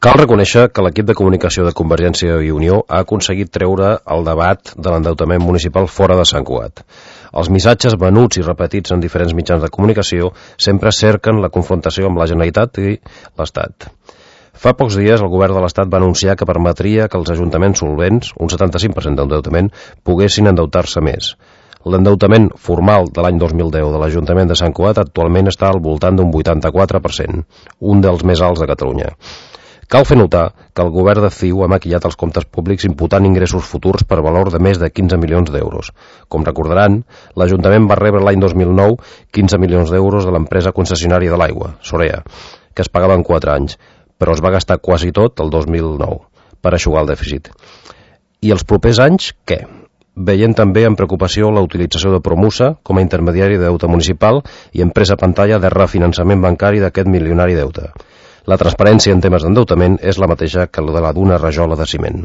Cal reconèixer que l'equip de comunicació de Convergència i Unió ha aconseguit treure el debat de l'endeutament municipal fora de Sant Cugat. Els missatges venuts i repetits en diferents mitjans de comunicació sempre cerquen la confrontació amb la Generalitat i l'Estat. Fa pocs dies el govern de l'Estat va anunciar que permetria que els ajuntaments solvents, un 75% d'endeutament, poguessin endeutar-se més. L'endeutament formal de l'any 2010 de l'Ajuntament de Sant Cugat actualment està al voltant d'un 84%, un dels més alts de Catalunya. Cal fer notar que el govern de CiU ha maquillat els comptes públics imputant ingressos futurs per valor de més de 15 milions d'euros. Com recordaran, l'Ajuntament va rebre l'any 2009 15 milions d'euros de l'empresa concessionària de l'aigua, Sorea, que es pagava en 4 anys, però es va gastar quasi tot el 2009 per eixugar el dèficit. I els propers anys, què? Veient també amb preocupació la utilització de Promusa com a intermediari de deute municipal i empresa pantalla de refinançament bancari d'aquest milionari deute. La transparència en temes d'endeutament és la mateixa que la d'una rajola de ciment.